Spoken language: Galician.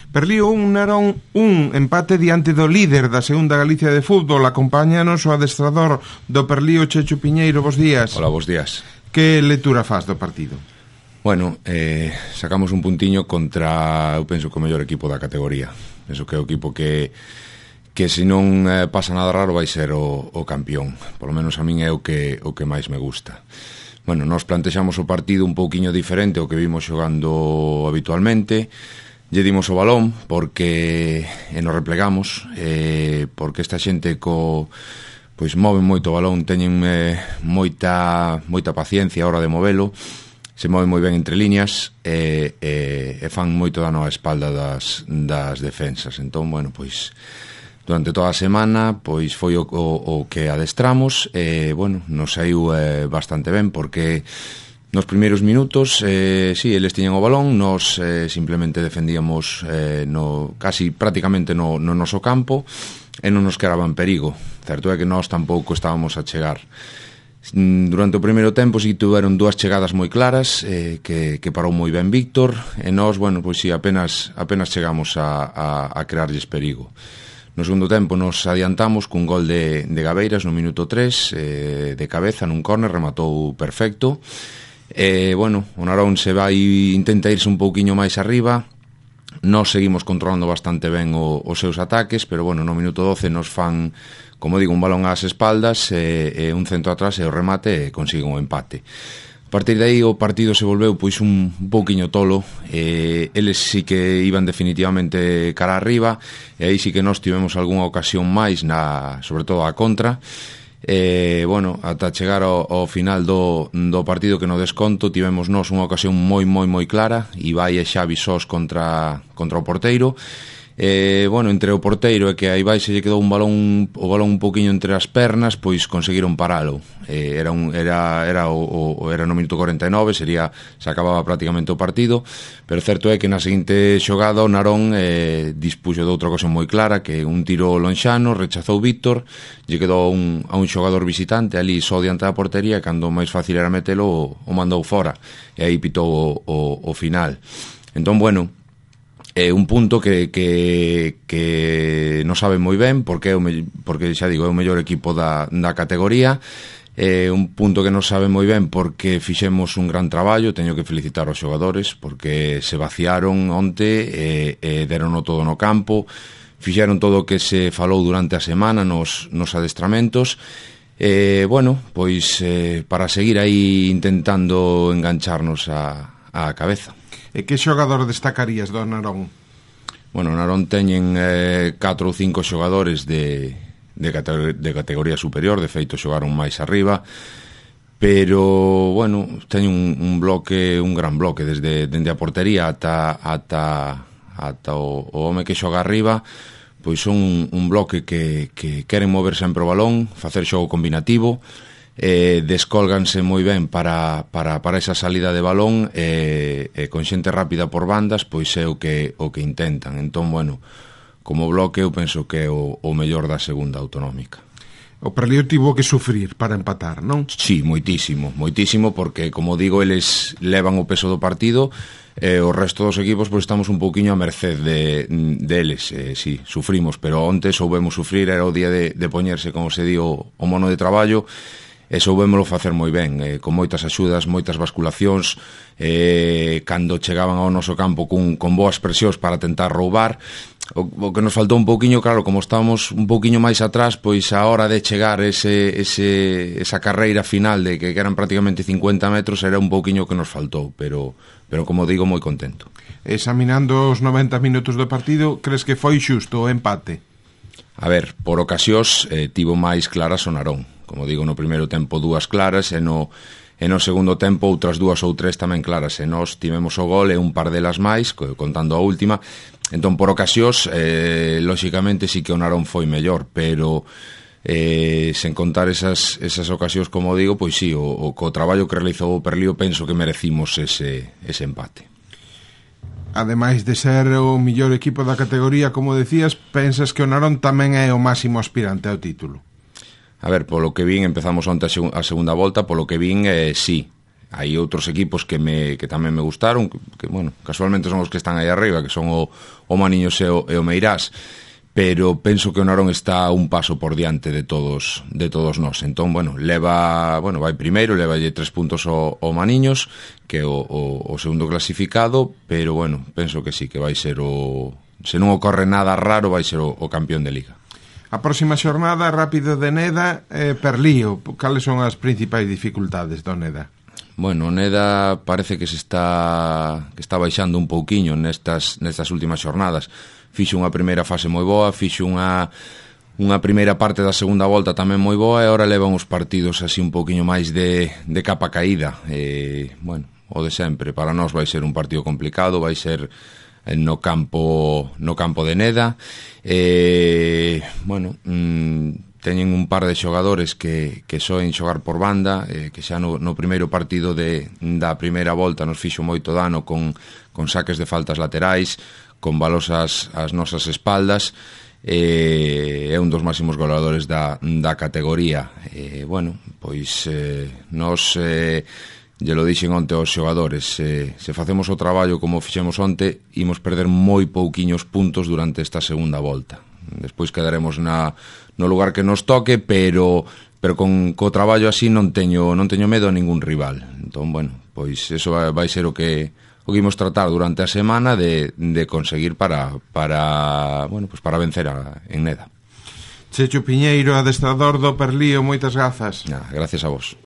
Perlío 1, Narón 1, empate diante do líder da segunda Galicia de fútbol. Acompáñanos o adestrador do Perlío, Chechu Piñeiro. Bos días. Hola, bos días. Que lectura faz do partido? Bueno, sacamos un puntiño contra, eu penso que o mellor equipo da categoría. Penso que é o equipo que se non pasa nada raro vai ser o campeón. Por lo menos a min é o que máis me gusta. Bueno, nós plantexamos o partido un pouquiño diferente ao que vimos xogando habitualmente. Lle dimos o balón porque nos replegamos, porque esta xente pois moven moito o balón, teñen moita paciencia a hora de movelo, se moven moi ben entre líneas e fan moito dano á espalda das defensas. Entón, bueno, pois durante toda a semana pois foi o que adestramos e, bueno, nos saiu bastante ben porque nos primeiros minutos, sí, eles tiñan o balón, nos simplemente defendíamos casi prácticamente no noso campo e non nos quedaban perigo. Certo é que nós tampouco estábamos a chegar. Durante o primeiro tempo si tuveron dúas chegadas moi claras que parou moi ben Víctor e nós, bueno, pois si apenas chegamos a crearlles perigo. No segundo tempo nos adiantamos cun gol de Gabeiras no minuto 3 de cabeza nun córner, rematou perfecto. Bueno, o Narón intenta irse un pouquiño máis arriba. Nós seguimos controlando bastante ben os seus ataques, pero bueno, no minuto 12 nos fan, como digo, un balón ás espaldas e un centro atrás e o remate e consiguen o empate. A partir de aí o partido se volveu pois un pouquiño tolo, eles sí que iban definitivamente cara arriba e aí sí que nós tivemos algunha ocasión máis, sobre todo a contra. Bueno, ata chegar ao final do partido, que no desconto tivemos nós unha ocasión moi clara, Ibai e Xavi sós contra o porteiro. Bueno, entre o porteiro e que a Ibai se lle quedou o balón un poquinho entre as pernas, pois conseguiron paralo. Era no minuto 49, se acababa prácticamente o partido, pero certo é que na seguinte xogada o Narón dispuxo de outra ocasión moi clara, que un tiro lonxano, rechazou Víctor, lle quedou a un xogador visitante ali só diante da portería, cando máis fácil era metelo, o mandou fora, e aí pitou o final. Entón, bueno, un punto que non sabe moi ben porque xa digo, é o mellor equipo da categoría, un punto que non sabe moi ben porque fixemos un gran traballo. Teño que felicitar aos xogadores porque se vaciaron onte e derono todo no campo, fixeron todo o que se falou durante a semana nos adestramentos. Bueno, pois para seguir aí intentando engancharnos a cabeza. E que xogador destacarías do Narón? Bueno, o Narón teñen 4 ou 5 xogadores de categoría superior, de feito xogaron máis arriba, pero, bueno, teñen un gran bloque, desde a portería ata o home que xoga arriba, pois son un bloque que queren mover sempre o balón, facer xogo combinativo, descólganse moi ben para esa salida de balón e con xente rápida por bandas, pois é o que intentan. Entón, bueno, como bloque eu penso que é o mellor da segunda autonómica. O Perlío tivo que sufrir para empatar, non? Sí, moitísimo, porque, como digo, eles levan o peso do partido e o resto dos equipos pois estamos un pouquiño a merced deles. Sí, sufrimos, pero onte soubemos sufrir, era o día de poñerse, como se di, o mono de traballo, e soubémolo facer moi ben, con moitas axudas, moitas basculacións, cando chegaban ao noso campo con boas presións para tentar roubar. O que nos faltou un pouquiño, claro, como estábamos un pouquiño máis atrás, pois a hora de chegar esa carreira final de que eran prácticamente 50 metros era un pouquiño que nos faltou, pero como digo, moi contento. Examinando os 90 minutos do partido, crees que foi xusto o empate? A ver, por ocasións tivo máis claras o Narón. Como digo, no primeiro tempo 2 claras e no segundo tempo outras 2 ou 3 tamén claras, e nós tivemos o gol e un par delas máis, contando a última. Entón, por ocasións, lóxicamente sí que o Narón foi mellor, pero sen contar esas ocasións, como digo, pois sí, o traballo que realizou o Perlío penso que merecimos ese empate. Ademais de ser o mellor equipo da categoría, como decías, pensas que o Narón tamén é o máximo aspirante ao título? A ver, polo que vin, empezamos onte a segunda volta, polo que vin, sí. hai outros equipos que tamén me gustaron, que bueno, casualmente son os que están aí arriba, que son o Maniños e o Meirás, pero penso que o Narón está un paso por diante de todos nós. Entón, bueno, vai primeiro, levalle 3 puntos ao Maniños, que é o segundo clasificado, pero bueno, penso que sí, que vai ser se non ocorre nada raro, vai ser o campeón de Liga. A próxima xornada, Rápido de Neda, Perlío. Cales son as principais dificultades do Neda? Bueno, o Neda parece que está baixando un pouquiño nestas últimas xornadas. Fixo unha primeira fase moi boa, fixo unha primeira parte da segunda volta tamén moi boa, e agora levan os partidos así un pouquiño máis de capa caída. Bueno, o de sempre, para nós vai ser un partido complicado, vai ser no campo de Neda. Bueno, teñen un par de xogadores que soen xogar por banda, que xa no primeiro partido da primeira volta nos fixo moito dano con saques de faltas laterais, con balos ás nosas espaldas. É un dos máximos goleadores da categoría. Bueno, pois nos lle lo dixen onte aos xogadores, se facemos o traballo como fixemos onte, imos perder moi pouquiños puntos durante esta segunda volta. Despois quedaremos no lugar que nos toque, pero co traballo así non teño medo a ningún rival. Entón, bueno, pois eso vai ser o que imos tratar durante a semana de conseguir para vencer en Neda. Chechu Piñeiro, adestrador do Perlío, moitas grazas. Gracias a vos.